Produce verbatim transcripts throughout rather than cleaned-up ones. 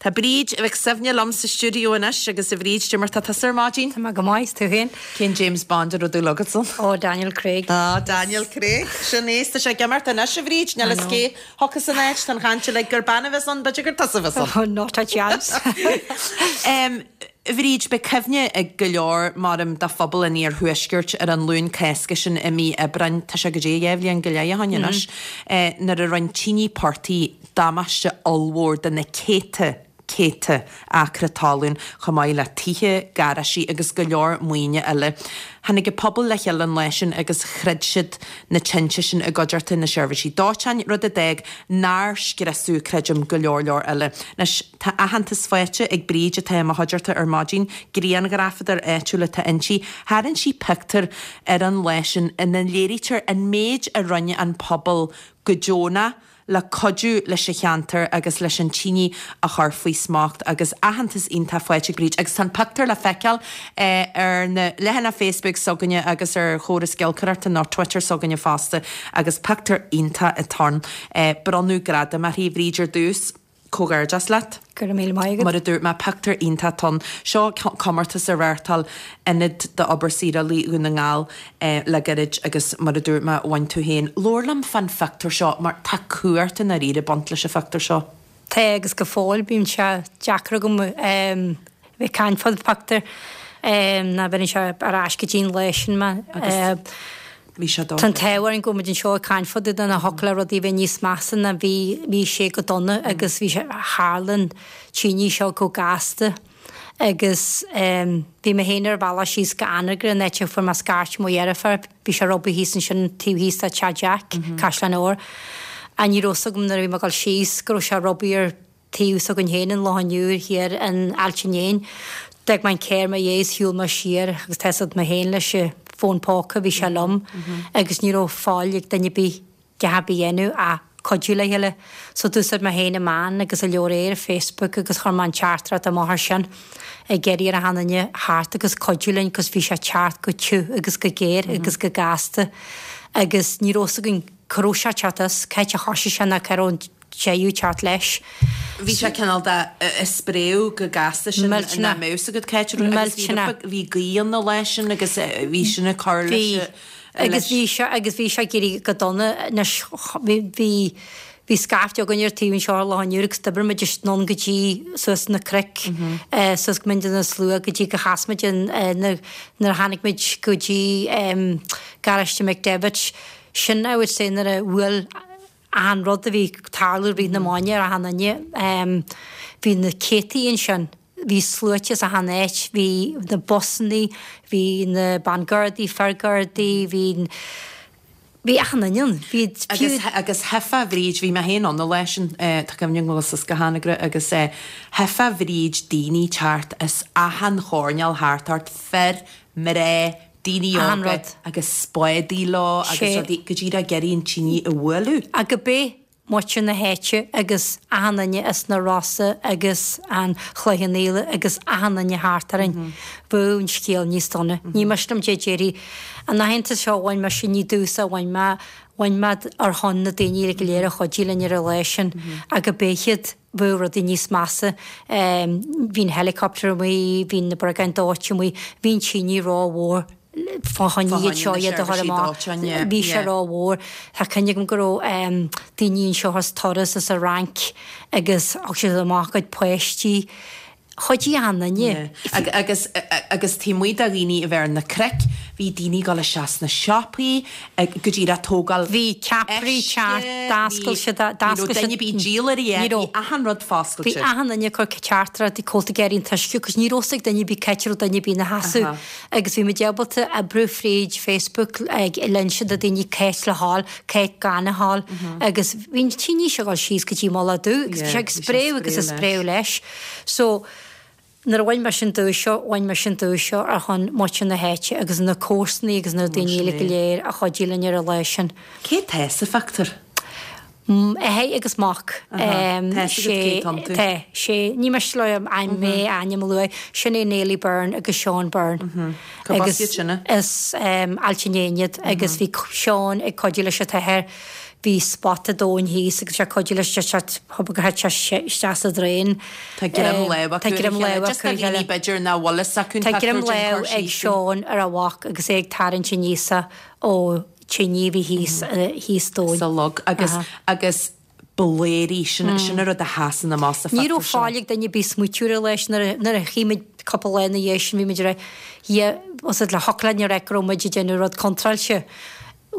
Tá Bríd Mhic Suibhne liom sa stiúideo anois agus a Bhríd, cad é mar tá tusa ar maidin? Tá mé go maith tú féin? Cén James Bond a raibh dúil agatsa? Ó Daniel Craig. Ah Daniel Craig sin é tá sé ag imirt anois a Bhríd níl a fhios cé thiocfas san áit tá an chaint uilig gur bean a bheas ann b'fhéidir gur tusa a bheas ann. Oh, not a chance. Um, Bhríd beidh cuimhne ag go leor maram de phobal an iarthuaiscirt ar an Luan Cásca sin i mí Aibreáin tá sé go dtí dhá bhliain go leith ó shin anois eh, nuair a rinne tine portaigh damáiste ollmhór de na céadta céadta acra talún chomh maith le tithe, garáistí agus go leor maoine eile. Tháinig an pobal le chéile an lá sin agus throid siad na tinte sin i gcuideachta na seirbhísí dóiteáin rud a d'fhág nár scriosadh creidim go leor leor eile. Anois tá aitheantas faighte ag Bríd atá i mo chuideachta ar maidin, grianghrafadóir áitiúil atá inti, tharraing sí pictiúr ar an lá sin ina léirítear an méid a rinne an pobal go deonach le cuidiú leis an cheantar agus leis an tine a chur faoi smacht agus aitheantas iontach faighte ag Bríd agus tá an pictiúr le feiceáil eh, ar na leathanaigh Facebook s'againne agus ar chóras giolcaireachta nó Twitter s'againne fosta agus pictiúr iontach atá ann. Eh, bronnadh gradam uirthi Bhríd ar dtús comhghairdeas leat. Go raibh míle maith agat. Mar a dúirt mé pictiúr iontach ann. Seo comórtas a reáchtáil Ionad d'Obair Saorálaí Dhún na nGall eh, le gairid agus mar a dúirt mé bhain tú féin. Labhair liom fán phictiúr seo mar tá cumhacht i ndáiríre ag baint leis an phictiúr seo. Tá agus go fóill bíonn sé deacair agam um, bheith caint fán phictiúr um, ná bhíonn sé ar ais go dtí an lá sin mé. Agus Bhí sé Tá an t-ádh orainn go bhfuil muid anseo ag caint fá dtaobh de na thiocfadh le rudaí bheith níos measa ná bhí bhí sé go dona agus bhí sé tharla an tine seo go gasta agus um, bhí mé féin ar bhealach síos go Anagaire an áit a fuair mé scairt mo dheirfiúr, bhí sé robí thíos ansin taobh thíos de Teach Jack, Caisleán Óir. A ní raibh agam nuair a bhí mé ag dul síos go raibh sé robí ar taobh s'againn féin an Loch an Iúir thiar in Ailt an Éin. D'fhág mé an carr i mo dhiaidh is shiúil mé siar agus tá mé féin leis an fón póca bhí sé liom agus ní raibh fáil ag duine bí a bhí dhéanamh a cuidiú le chéile. So d'úsáid mé féin na meáin agus a leor ar Facebook agus chuir mé an teachtaireacht amach ar sin ag iarraidh ar achan duine teacht agus cuidiú linn cos bhí sé teacht go te agus go géar agus go gasta agus ní raibh againn cá raibh sé ag teacht as cá háit a thosaigh sé ná cá raibh an deireadh teacht leis. Bhí sé cineál de spréadh go gasta sin Millteanach. ná meus agad céit agus bhí Millteanach. bhí gaoth na leis sin agus eh, bhí sin ag cur Bhí leis agus bhí sé agus bhí sé ag éirí go dona anois bhí bhí bhí scaifte againn ar taobh anseo ar Loch an Iúir agus d'oibrigh muid anonn go dtí suas na cnoic eh, suas go Mín na Slua go dtí go chas muid an eh, na- nuair a tháinig muid go dtí um, garáiste McDevitt sin I would say nuair a bhuail an rud a bhí tarlú rí na máine ar achan duine um, bhí na céadtaí ansin bhí sluaite as achan áit, bhí na busanna, bhí na bangardaí, feargardaí, bhí bhí achan duine ann. Bhí Agus agus hefa bhríd bhí mé féin ann an lá sin eh, tá cuimhne agam go go hAnagaire agus eh, hefa bhríd daoine teacht as achan choirnéal thart ort fir mná daoine Achan óga rud. agus spádaí leo agus Sé. rudaí go dtí ag iarraidh an tine a bhualadh. A go bé muintir na háite agus achan duine as na Rosa agus an Chloich Cheann Fhaola agus achan duine thart orainn. Bhí an scéal níos dona. Ní mar dé déirí an aitheantas seo bhain mé sin ní dúsa bhain mé bhain mé ar shon na daoine go léir a chuidigh linn ar an lá sin agus b'fhéidir bhí rudaí níos measa bhí'n helicopter amuigh, bhí na briogáid dóiteáin amuigh, bhí'n tine rómhór fá choinne iad seo iad a chur amach. Bhí sé rómhór Tá cuimhne agam go raibh daoine anseo as turas as an Fhrainc agus thug siad amach cuid páistí. Chuidigh achan duine. Agus agus taobh amuigh de dhaoine a bheith ar na cnoic, bhí daoine ag dul isteach sna siopaí go dtí a tógáil Bhí ceapairí teacht d'oscail siad d'oscail siad Duine bí díolairí Ní raibh. achan rud Bhí foscailte. achan duine cur teachtaireacht cóta géirín tuisce, cos ní raibh ag duine bí ceitiú duine bí na hasú. Agus bhí muid ábalta oibriú fríd Facebook ag l'inse do daoine cá háit le ghabháil, cá háit gan a ghabháil, agus bhí an tine seo ag dul síos go dtí Mullach Dubh, agus bhí sé ag bhí sé ag spréadh agus ag spréadh spréadh leis. So nuair a bhain mé sin duais seo, bhain mé sin duais seo ar shon muintir na háite agus na comharsanaí agus na daoine eile go léir a chuidigh linn ar an lá sin. Cé tá sa phictiúr? Athair agus mac. Tá cé iontu. Tá sé ní mar le ein mé ainm lua sin é Neily Byrne agus Sean Byrne. Cá bhas iad sinne? Is um, Ailt an Éin iad agus bhí Sean ag cuidiú leis an t-athair Bhí spota domhain thíos agus sé cuidiú leis gur thit sé isteach sa draein. Tá greim lámh acu Tá greim lámh acu ar a chéile. B'fhéidir nach bhfuil fhios acu Tá greim lámh ag Seán ar a mhac agus é ag tarraingt aníos ó tine a bhí thíos thíos domhain. Sa log agus agus blairí sin sin an rud a sheasann amach sa Ní phictiúr raibh seo. fáil ag duine ar bith smaoitiú air leis nuair a nuair a chím muid cúpla lá ina dhiaidh sin bhí muid ag rá yeah was it le thiocfadh linn a rá go raibh muid ag déanamh rud contráilte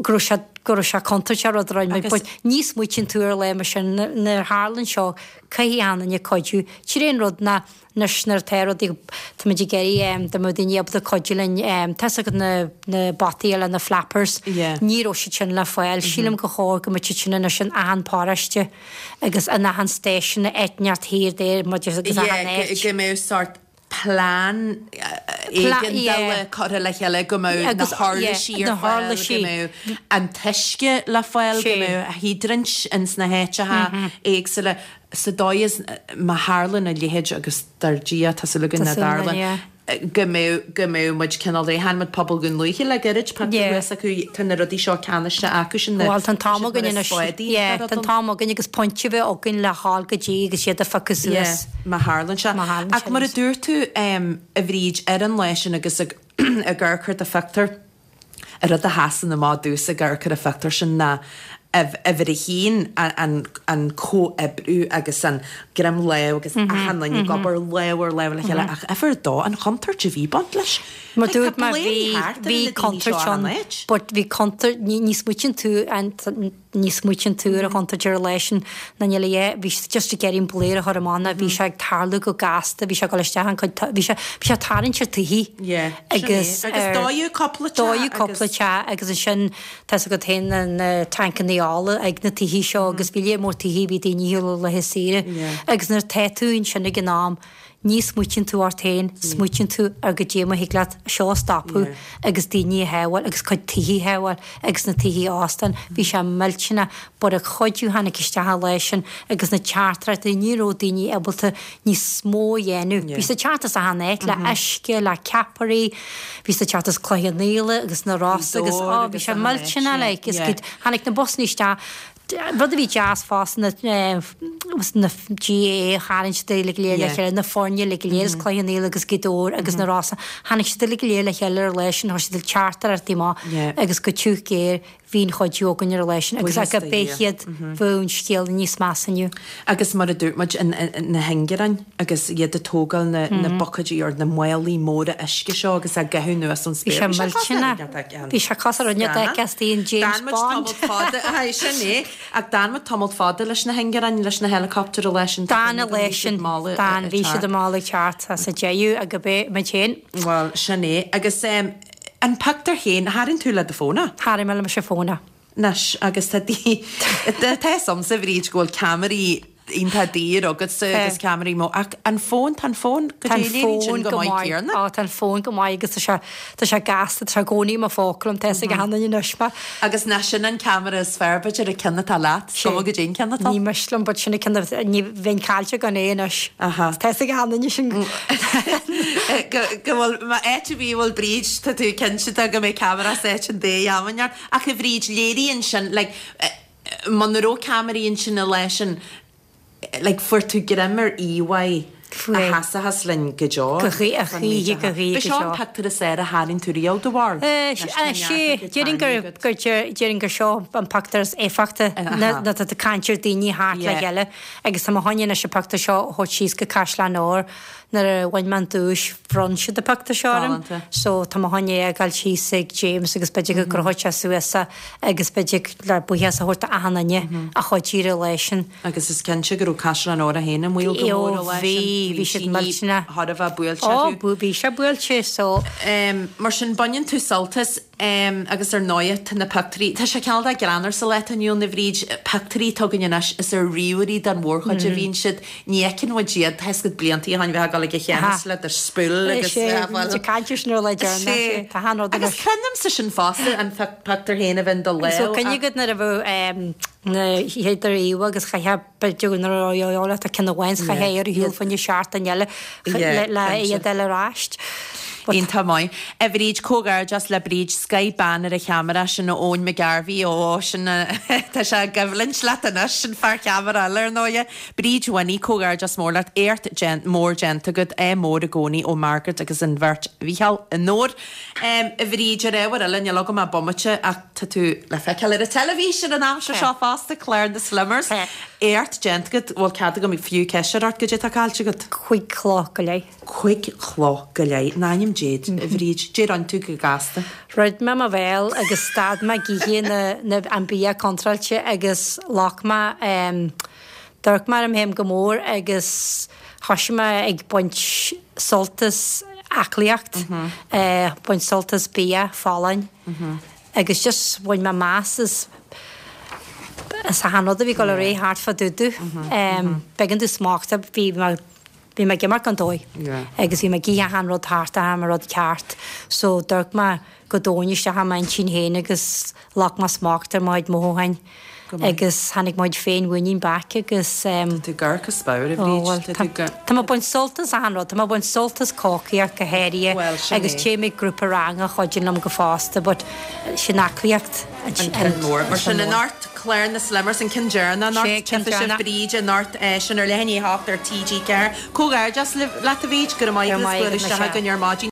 go raibh sé go raibh sé contúirteach rud a rinne muid but ní smaoitíonn tú ar lá mar sin nuair a tharlann seo caithfidh achan duine cuidiú. Sin é an rud ná anois nuair atá rudaí tá muid ag iarraidh dá mbeadh daoine ábalta cuidiú linn tá 'fhios agat na na bataí le na flappers Yeah. ní raibh siad sin le fáil. Sílim go chóir go mbeadh siad sin anois in achan paróiste agus in achan station eitneacht thiar there muid agus achan Yeah, áit. go mbeadh sort plean éigeandála curtha le chéile go mbeadh na huirlisí ar fáil, go mbeadh an t-uisce le fáil, go mbeadh hiodraint ins na háiteacha éagsúla. Sa dóigh is má tharlann a leithéid agus dar Dia tá súil againn nach dtarlann, go mbeadh go mbeadh muid cineál réidh. Chonaic muid pobal Dhún Lúiche le gairid, pictiúr thuas acu, tá na rudaí seo ceannaiste acu sin, na Bhuel tá an t-am againn anois, yeah, tá an t-am againn agus pointe a bheith againn le dhul go dtí agus iad a phiocadh suas. Yeah, má tharlann sé. Má tharlann sé. Ach mar a dúirt tú, a Bhríd, ar an lá sin agus ag amharc ar do phictiúr, an rud a sheasann amach domhsa ag amharc ar an phictiúr sin ná uimhir a haon, an comhoibriú agus an greim lámh agus achan duine ag obair lámh ar lámh le chéile ach uimhir a dó, an chontúirt a bhí ag baint leis. Mar Like, tá dúirt mé blairí bhí thart ar bhí na daoine seo contúirt achan ann áit. but bhí contúirt ní ní smaoitíonn tú an ní smaoitíonn tú ar an chontúirt ar an lá sin ná níl a dhath bhí siad just ag iarraidh an blare a chur amach ná bhí sé ag tarlú go gasta bhí sé ag dul isteach an cuid bhí sé bhí sé ag tarraingt ar tithe Yeah, sin é. agus Agus ar dódh cúpla teach dódh cúpla agus teach agus ansin tá 'fhios agat féin na na tancannaí ola ag na tithe seo agus bhí léar mór tithe bhí daoine ar laetha saoire Yeah. agus nuair atá tú ansin ag an am ní smaoitíonn tú ort féin smaoitíonn tú ar goidé mar thig leat seo a stopadh Yeah. agus daoine a shábháil agus cuid tithe a shábháil agus na tithe óstáin bhí sé millteanach but an chuidiú tháinig isteach an lá sin agus na teachtaireachtaí ní raibh daoine ábalta níos mó a dhéanamh. Yeah. Bhí siad ag teacht as achan áit le uisce le ceapairí bhí siad ag teacht as Cloich Cheann Fhaola agus na Rosa agus Dóir á bhí agus sé achan áit, millteanach yeah. like is Yeah. go tháinig na busanna isteach rud a bhí deas fosta na na GAA tharraing siad uilig go léir le Yeah. chéile na foirne uilig go léir as Cloich Cheann Fhaola agus Gaoth Dobhair agus na Rosa tháinig siad uilig go léir le chéile ar an lá sin chuir siad teachtaireachtaí amach Yeah. agus go tiugh géar bhí an chuidiú againn ar an lá sin agus Buíochas go do bé Dhia. hiad bheadh an scéal níos measa inniu. Agus mar a dúirt muid in- in- na hingearáin agus iad ag tógáil na na bucaidí ar na málaí móra uisce seo agus á gcaitheamh anuas ón Bhí spéir. sé Bhí sé millteanach. cosúil Bhí sé cosúil le rud Scannán. éigin James D'fhan muid Bond. tamall fada aye, sin é. Ach d'fhan muid tamall fada leis na hingearáin leis na helicopter leis an D'fhan a leis sin d'fhan bhí siad mall ag teacht as a deireadh ag bé muid féin. Well, sin é. Agus um, an pictiúr féin, tharraing tú le do fón é? Tharraing mé le mo fón é. Anois agus tá dí tá samsa bhríd go bhfuil ceamaraí iontach daor agatsa agus ceamaraí mó ach an fón tá an fón go Tá an dtí léiríonn sin fón go go maith maith céanna. Á tá an fón go maith agus tá sé tá sé gasta tá sé i gcónaí i mo phóca liom tá ag achan duine anois mé. Agus ná sin an ceamara is fearr b'fhéidir an ceann atá leat, Sé. go go dtí an ceann atá. Ní miste liom but sin ceann ní bheinn caillte gan é anois. Aha. Tá ag achan duine sin Go go bhfuil má áit a bhí bhfuil Bríd tá tú cinnte go mbeidh ceamara sa áit an dé amhain ach a Bhríd léiríonn sin like, eh, muna raibh ceamaraí ansin an lá sin like, fuair tú greim ar íomhá Fuair. a sheasfas linn go deo. Go gcuí- a chuí- go gcuí- B'é go seo deo. an pictiúr is fearr a tharraing tú riamh do bharúil. sé déarfainn gur gur déarfainn gur seo an pictiúr is éifeachta Aha. na tá caint ar daoine thart le Yeah. chéile agus tá mo choinne leis an pictiúr seo a thabhairt síos go Caisleán Óir nuair a bhain mé an duais bhronn siad an pictiúr seo orm. Galánta. So tá mo choinne ag dul síos ag James agus b'fhéidir go gcrochfaidh sé suas é agus b'fhéidir le buíochas a thabhairt achan duine a chuidigh ar an lá sin. Agus is cinnte go raibh Caisleán Óir féin i mbaol go Eo, mór an lá sin. bhí- bhí siad millteanach. Thar a bheith buailte Ó acu. bú bhí sé buailte so Um, mar sin baineann tú sult as um, agus ar ndóigh tá na pictiúirí Tá sé cineál de greannmhar sa lá atá inniu ann a Bhríd pictiúirí atá againn anois is ar ríomhairí den mhórchuid a bhíonn siad ní fheiceann muid iad tá siad blianta ó shin bheith ag dul ag an cheannas le do spool agus sé caint sin le Sé. Tá han Agus creidimse sin fosta an pictiúr féin a bheith do So lámh cyn gyd na raibh na héidir íwa agus chaithe beidir na roiile a cin amháin chaithe ar hiúil fanne seart an eile Yeah, le cinnte. iad eile ráist. Iontach maith. A Bhríd, Comhghairdeas le Bríd, scoth bean ar an cheamara sin Eoin McGarvey ó sin tá sé i gcoimhlint leat anois sin fear ceamara eile ar ndóigh. Bríd Winnie, comhghairdeas mór leat éacht mór déanta agat é mór i gcónaí ó Margaret agus an bheirt Mhícheál i nDobhar. Um, a Bhríd ar ábhar eile níl agam ach bomaite ach tá tú le feiceáil ar an teilifís ar an aimsir seo fosta clár na Slimmers. Éacht déanta agat bhfuil cead agam fiú ceist ort goidé atá caillte agat. Cúig chlo go leith. Cúig chlo go leith in ainm Dé a Bhríd, Dé ran tú go gasta. Rud mé mo bhéal agus stad mé ag ithe na, na, an bia contráilte agus loic mé um, d'amharc mé orm féin go mór agus thosaigh mé ag baint sult as aclaíocht, mm -hmm. uh, baint sult as bia folláin mm -hmm. agus just bhain mé meas as as achan rud a bhí go le ré thart fá dtaobh domh. B'éigean domh smacht bhí mé bhí mé ag imeacht an dóigh agus bhí mé ag ithe achan rud thart am rud ceart, so d'amharc mé go domhain isteach i m'intinn féin agus ghlac mé smacht ar mo chuid mothúcháin agus tháinig mo chuid féinmhuinín back agus um, Tú gar spáir a Bhríd Tá mé baint sult as achan rud, Tá mé baint sult as cócaireacht go háirithe agus téim ag grúpa ranga chuidíonn liom go fosta, but sin aclaíocht an ceann mór. Mar sin anocht clár na Slimmers an ceann deireanach anocht tchífidh sibh Bríd anocht sin ar leath i ndiaidh a hocht ar TG ceathair. Comhghairdeas leat a Bhríd go maith isteach go ar maidin.